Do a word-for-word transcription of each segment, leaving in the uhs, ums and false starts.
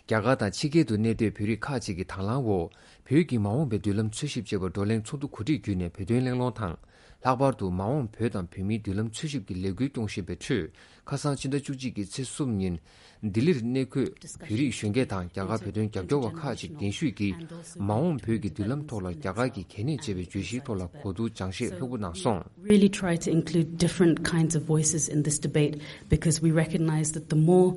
རྒྱ་གར་དང་ཕྱི་རྒྱལ་དུ་གནས་སྡོད་བོད་རིགས་ཁག་ཅིག་གི་དང་བླངས་འོག་བོད་ཀྱི་མ་འོངས་པའི་མདུན་ལམ་འཚོལ་ཞིབ་ཅེས་པ་བགྲོ་གླེང་ཚོགས་འདུ་གོ་སྒྲིག་བརྒྱུད་ནས་བོད་དོན་གླེང་སློང་དང་། ལྷག་པར་དུ་མ་འོངས་བོད་དང་བོད་མིའི་མདུན་ལམ་འཚོལ་ཞིབ་ཀྱི་ལས་འགུལ་སྐྱོང་བཞིན་པའི་ཁྲོད། ཁ་སང་ཕྱི་ཟླ་བཅུ་གཅིག་གི་ཚེས་གསུམ་ཉིན། ལྡི་ལིར་གནས་འཁོད་བོད་རིགས་གཞོན་སྐྱེས་དང་རྒྱ་གར་བོད་དོན་རྒྱབ་སྐྱོར་བ་ཁག་ཅིག་གདན་ཞུས་ཀྱིས། མ་འོངས་བོད་ཀྱི་མདུན་ལམ་ཐོག་ལ་རྒྱ་གར་གྱི་གལ་གནད་ཅེས་པའི་བརྗོད་གཞིའི་ཐོག་ལ་གོ་བསྡུར་སྦྱང་བཤད་ལྷུག་པོ་གནང་སོང་། Really try to include different kinds of voices in this debate because we recognize that the more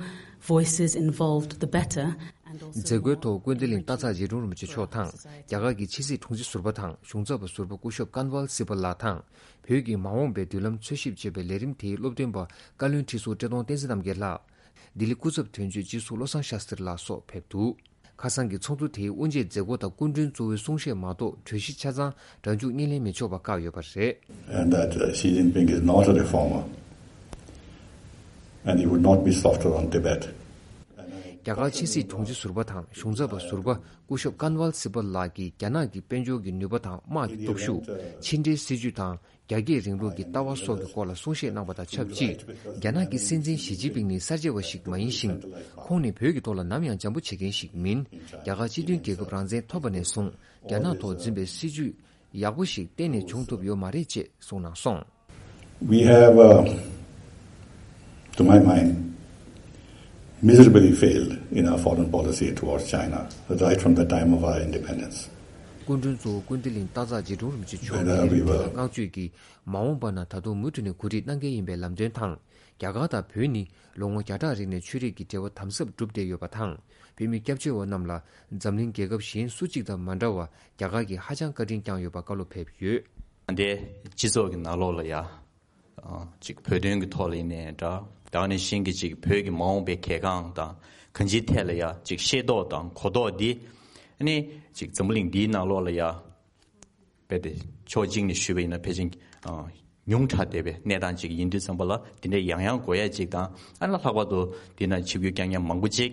voices involved, the better. And also, མཛད་སྒོའི་ཐོག་ཀུན་བདེ་གླིང་སྟག་ཚང་རྗེ་དྲུང་རིན་པོ་ཆེ་མཆོག་དང་རྒྱ་གར་གྱི་ཕྱི་སྲིད་དྲུང་ཆེ་ཟུར་པ་དང་གཞུང་ཚབ་པ་ཟུར་པ་སྐུ་ཞབས་ཀན་ཝལ་སི་པལ་ལགས་དང་། བོད་ཀྱི་མ་འོངས་པའི་མདུན་ལམ་འཚོལ་ཞིབ་ཅེས་པའི་ལས་རིམ་དེའི་སློབ་སྟོན་པ་བཀའ་བློན་ཁྲི་ཟུར་བཀྲས་མཐོང་བསྟན་འཛིན་རྣམ་རྒྱལ་ལགས། ལྡི་ལི་སྐུ་ཚབ་དོན་གཅོད་སྤྱི་ཟུར་བློ་བཟང་ཤཱསྟྲི་ལགས་སོགས་ཕེབས་འདུག་ཁ་སང་གི་ཚོགས་འདུ་དེའི་དབུ་འབྱེད་མཛད་སྒོ་དང་སྐུ་མགྲོན་གཙོ་བོའི་གསུང་བཤད་མ་གཏོགས་གྲོས་གཞི་ཆ་ཚང་སྒྲ་འཇུག་བརྙན་ལེན་མི་ཆོག་པ་བཀག་ཡོད་པ་རེད། And that uh, Xi Jinping is not a reformer and he would not be softer on Tibet. རྒྱ་གར་ཕྱི་སྲིད་དྲུང་ཆེ་ཟུར་པ་དང་གཞུང་ཚབ་པ་ཟུར་པ་སྐུ་ཞབས་ཀན་ཝལ་སི་པལ་ལགས་ཀྱིས་རྒྱ་ནག་གི་དཔལ་འབྱོར་གྱི་ནུས་པ་དང་དམག་གི་སྟོབས་ཤུགས། ཕྱི་འབྲེལ་སྲིད་ཇུས་དང་། རྒྱ་སྐྱེད་རིང་ལུགས་ཀྱི་ལྟ་བ་སོགས་ཀྱི་སྐོར་ལ་གསུང་བཤད་གནང་པ་དང་ཆབས་ཅིག་རྒྱ་ནག་གི་སྲིད་འཛིན་ཞི་ཅིན་ཕིང་ནི་གསར་བརྗེ་བ་ཞིག་མ་ཡིན་ཞིང་། ཁོང་ནི་བོད་ཀྱི་ཐོག་ལ་ནམ་ཡང་འཇམ་པོ་བྱེད་མཁན་ཞིག་མིན། རྒྱ་གར་སྤྱི་མཐུན་རྒྱལ་ཁབ་རང་བཙན་ཐོབ་པ་ནས་བཟུང་རྒྱ་ནག་ཐོག་འཛིན་པའི་སྲིད་ཇུས་ཡག་པོ་ཞིག་གཏན་ནས་བྱུང་ཐུབ་ཡོད་མ་རེད་ཅེས་གསུངས་གནང་སོང་། We have, uh, to my mind, miserably failed in our foreign policy towards China, right from the time of our independence. སྐུ་མགྲོན་གཙོ་བོ་ཀུན་བདེ་གླིང་སྟག་ཚང་རྗེ་དྲུང་རིན་པོ་ཆེ་མཆོག་གིས་བཀའ་ཆོས་ཀྱིས་མ་འོངས་པ་ན་ད་དུང་མུ་མཐུད་ནས་གོ་སྒྲིག་གནང་གལ་ཡིན་པའི་ལམ་སྟོན་དང་། རྒྱ་གར་དང་བོད་ནི་ལོ་ངོ་བརྒྱ་ཕྲག་རིང་ནས་ཆོས་རིག་གི་འབྲེལ་བ་དམ་ཟབ་གྲུབ་བསྡད་ཡོད་པ་དང་། བོད་མི་སྐྱབས་བཅོལ་བ་རྣམས་ལ་འཛམ་གླིང་རྒྱལ་ཁབ་གཞན་སུ་གཅིག་དང་མ་འདྲ་བར་རྒྱ་གར་གྱིས་ཧ་ཅང་བཀའ་དྲིན་བསྐྱངས་ཡོད་པ་བཀའ་སློབ་ཕེབས་ཡོད། འདི་སྤྱི་ཚོགས་ཀྱི་ནང་ལོགས་ལ་ཡ། ཅིག་བོད་དོན་གྱི་ཐོག་ལ་ཡིན་ནའི་འདྲ། ད་ག་ནང་བཞིན་གྱི་ཅིག་བོད་ཀྱི་མ་འོངས་པའི་གལ་འགངས་དང་གང་ཅིའི་ཐད་ལ་ཡ་ཅིག་ཤེས་རྟོགས་དང་གོ་རྟོགས་འདི། ཨ་ནི་ཅིག་འཛམ་བུ་གླིང་འདིའི་ནང་ལོགས་ལ་ཡ། རྦད་དེ་ཕྱོགས་གཅིག་ནས་ཞུས་པ་ཡིན་ན་ཕལ་ཆེར་ཉུང་དྲགས་བསྡད་པའི་གནས་སྟངས་ཅིག་ཡིན་དུས་ཙམ་པ་ལ་འདི་འདྲའི་ཡང་ཡང་དགོས་ཡ་ཅིག་དང་། ཨ་ནི་ལྷག་པར་དུ་འདི་ན་ཆིབས་བསྒྱུར་བསྐྱངས་མཁན་མང་པོ་ཅིག་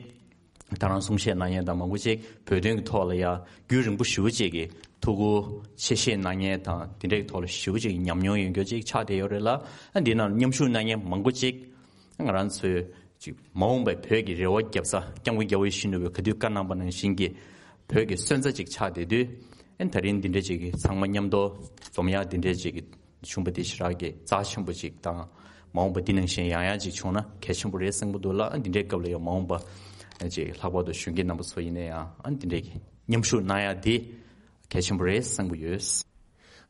ད་རང་གསུང་བཤད་གནང་མཁན་དང་མང་པོ་ཅིག་བོད་དོན་གྱི་ཐོག་ལ་ཡ་རྒྱུན་རིང་པོ་ཞེ་པོ་ཅིག་གི་ཐུགས་ཁུར་ཆེ་བཞེས་གནང་མཁན་དང་དེ་འདྲའི་ཐོག་ལ་ཞེ་པོ་ཅིག་ཉམས་མྱོང་ཡོད་མཁན་ཅིག་ཆགས་བསྡད་ཡོད་རེད་ལ། ཨ་འདི་ནང་མཉམ་ཞུགས་གནང་མཁན་མང་པོ་ཅིག་ང་རང་ཚོའི་ཅིག་མ་འོངས་པའི་བོད་ཀྱི་རེ་བ་རྒྱབ་ས་སྐྱབས་མགོན་རྒྱལ་བ་ཡིད་བཞིན་ནོར་བུས་ག་དུས་བཀའ་གནང་པ་ནང་བཞིན་གྱི་བོད་ཀྱི་སོན་རྩ་ཅིག་ཆགས་བསྡད་དུས། ཨ་ད་རིང་འདི་འདྲའི་ཅིག་གི་ཚང་མ་མཉམ་དུ་འཛོམས་ཡག་འདི་འདྲའི་ཅིག་གི་བྱུང་བ་དེ་ཞེ་དྲག་གི་རྩ་ཆེན་པོ་ཅིག་དང་། མ་འོངས་པ་འདི་ནང་བཞིན་ཡང་ཡང་ཅིག་བྱུང་ན་གལ་ཆེན་པོ་རེད་བསམ་གྱི་འདུག་ལ། ཨ་འདི་འདྲའི་སྐབས་ལ་ཡང་མ་འོངས་པ་ཅིག་ལྷག་པར་དུ་གཞོན་སྐྱེས་རྣམ་པ་ཚོ་ཡིན་ན་ཡང་ཨ་འདི་འདྲའི་གི་མཉམ་ཞུགས་གནང་ཡག་འདི་གལ་ཆེན་པོ་རེད་བསམ་གྱི་ཡོད།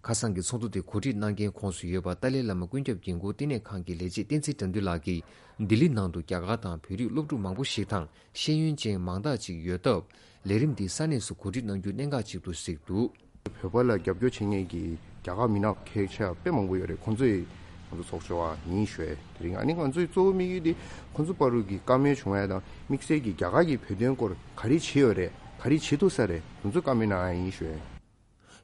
ཁ་སང་གི་ཚོགས་འདུ་དེ་གོ་སྒྲིག་གནང་མཁན་ཁོངས་སུ་ཡོད་པ་ཏཱ་ལའི་བླ་མ་ཀུན་ཁྱབ་འགན་འཁུར་བསྟི་གནས་ཁང་གི་ལས་བྱེད་བསྟན་འཛིན་དགྲ་འདུལ་ལགས་ཀྱིས་ལྡི་ལི་ནང་དུ་རྒྱ་གར་དང་བོད་རིགས་སློབ་ཕྲུག་མང་པོ་ཞིག་དང་ཤེས་ཡོན་ཅན་མང་དག་ཅིག་ཡོད་སྟབས། ལས་རིམ་འདི་ས་གནས་སུ་གོ་སྒྲིག་གནང་རྒྱུ་གནད་འགག་ཅིག་ཏུ་གཟིགས་འདུག། བོད་པ་ལ་རྒྱབ་སྐྱོར་བྱེད་མཁན་གྱི་རྒྱ་གར་མི་སྣ་ཁག་ཆེ་བ་དཔེ་མང་པོ་ཡོད་རེད། ཁོང་ཚོས་ང་ཚོ་ཚོགས་ཆུང་བ་ཡིན་ཞུས། དེ་རིང་ཨ་ནི་ང་ཚོའི་གཙོ་བོ་དམིགས་ཡུལ་དེ་ཁོང་ཚོ་བར་དུ་གི་བཀའ་མོལ་བྱུང་ཡ་དང་དམིགས་བསལ་གྱི་རྒྱ་གར་གྱི་བོད་དོན་སྐོར་ག་རེ་བྱེད་ཡོད་རེད། ག་རེ་བྱེད་ཐུབ་ས་རེད། ང་ཚོས་བཀའ་མོལ་གནང་ཡ་ཡིན་ཞུས།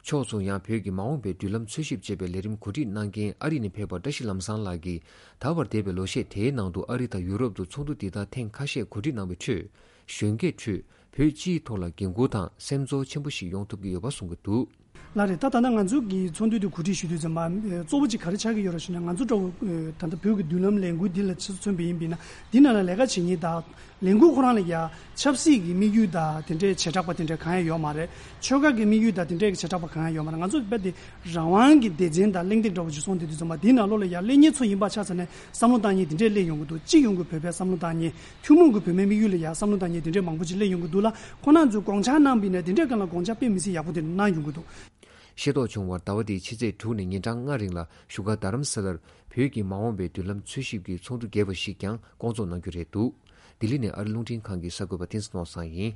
ཕྱོགས་མཚུངས་ཡང་བོད་ཀྱི་མ་འོངས་པའི་མདུན་ལམ་འཚོལ་ཞིབ་ཅེས་པའི་ལས་རིམ་གོ་སྒྲིག་གནང་མཁན་ཨ་རི་ནས་ཕེབས་པ་བཀྲ་ཤིས་ལམ་བཟང་ལགས་ཀྱིས་ད་བར་འདས་པའི་ལོ་ཤས་དེའི་ནང་དུ་ཨ་རི་དང་ཡུ་རོབ་ཏུ་ཚོགས་འདུ་འདི་དག་ཐེངས་ཁ་ཤས་གོ་སྒྲིག་གནང་བའི་ཁྲོད། གཞོན་སྐྱེས་ཁྲོད་བོད་སྤྱིའི་ཐོག་ལ་འགན་འཁུར་དང་སེམས་ཚོར་ཆེན་པོ་ཞིག་ཡོང་ཐུབ་ཀྱི་ཡོད་པ་གསུང་གི་འདུག། ལགས་རེད། ད་ད་ལྟ་ང་ཚོ་གི་ཚོགས་འདུ་དེ་གོ་སྒྲིག་ཞུ་དུས་ཙམ་པ་གཙོ་བོ་གཅིག་ག་རེ་ཆགས་ཀྱི་ཡོད་རེད་ཞུ་ན། ང་ཚོ་འདྲ་བོ་ད་ལྟ་བོད་ཀྱི་མདུན་ལམ་ལས་འགུལ་འདི་ལ་ཆ་མཚོན་པ་ཡིན་པ་ཡིན་ན། འདི་ནང་ལ་ལས་ཀ་བྱེད་མཁན་དང་ལས་འགུལ་ཁོ་རང་ལ་ཡ་ཆབ་སྲིད་ཀྱི་དམིགས་ཡུལ་དང་དེ་འདྲའི་བྱེ་བྲག་པ་དེ་འདྲ་གང་ཡང་ཡོད་མ་རེད། ཆོལ་ཁ་གི་དམིགས་ཡུལ་དང་དེ་འདྲའི་བྱེ་བྲག་པ་གང་ཡང་ཡོད་མ་རེད། ང་ཚོ་རྦད་དེ་རང་དབང་གི་སྡེ་ཚན་དང་གླེང་སྟེགས་འདྲ་བོ་ཞིག་སོང་དེ་དུས་ཙམ་པ་འདི་ནང་ལོགས་ལ་ཡ་སླེབས་མཁན་ཚོ་ཡིན་པ་ཆ་ཚང་ནས་བསམ་བློ་བཏང་མཁན་དེ་འདྲས་སླེབས་ཡོང་གི་འདུག། སྤྱི་ཡོངས་ཀྱི་བོད་པའི་བསམ་བློ་བཏང་མཁན། ཐུན་མོང་གི་བོད་པའི་དམིགས་ཡུལ་ལ་ཡང་བསམ་བློ་བཏང་མཁན་དེ་འདྲའི་མང་པོ་ཅིག་སླེབས་ཡོང་གི་འདུག་ལ། ཁོང་རྣམ་ཚོས་དགོངས་འཆར་གནང་བ་ཡིན་ན་དེ་འདྲའི་སྒང་ལ་དགོངས་འཆར་དཔེ་མི་སྲིད་ཡག་པོ་དེ་འདྲ་གནང་ཡོང་གི་འདུག། ཤེས་རྟོགས་བྱུང་བར་ཟླ་བ་འདིའི་ཕྱི་ཚེས་དྲུག་ནས་ཉིན་གྲངས་ལྔ་རིང་ལ་བཞུགས་སྒར་རྡ་རམ་ས་ལར་བོད་ཀྱི་མ་འོངས་པའི་མདུན་ལམ་འཚོལ་ཞིབ་ཀྱི་ཚོགས་འདུ་རྒྱས་པ་ཞིག་ཀྱང་སྐོང་ཚོགས་གནང་རྒྱུ་རེད་འདུག། ལྡི་ལི་ནས་ཨ་རི་རླུང་འཕྲིན་ཁང་གི་གསར་འགོད་པ་བསྟན་འཛིན་ནོར་བཟང་ཡིན།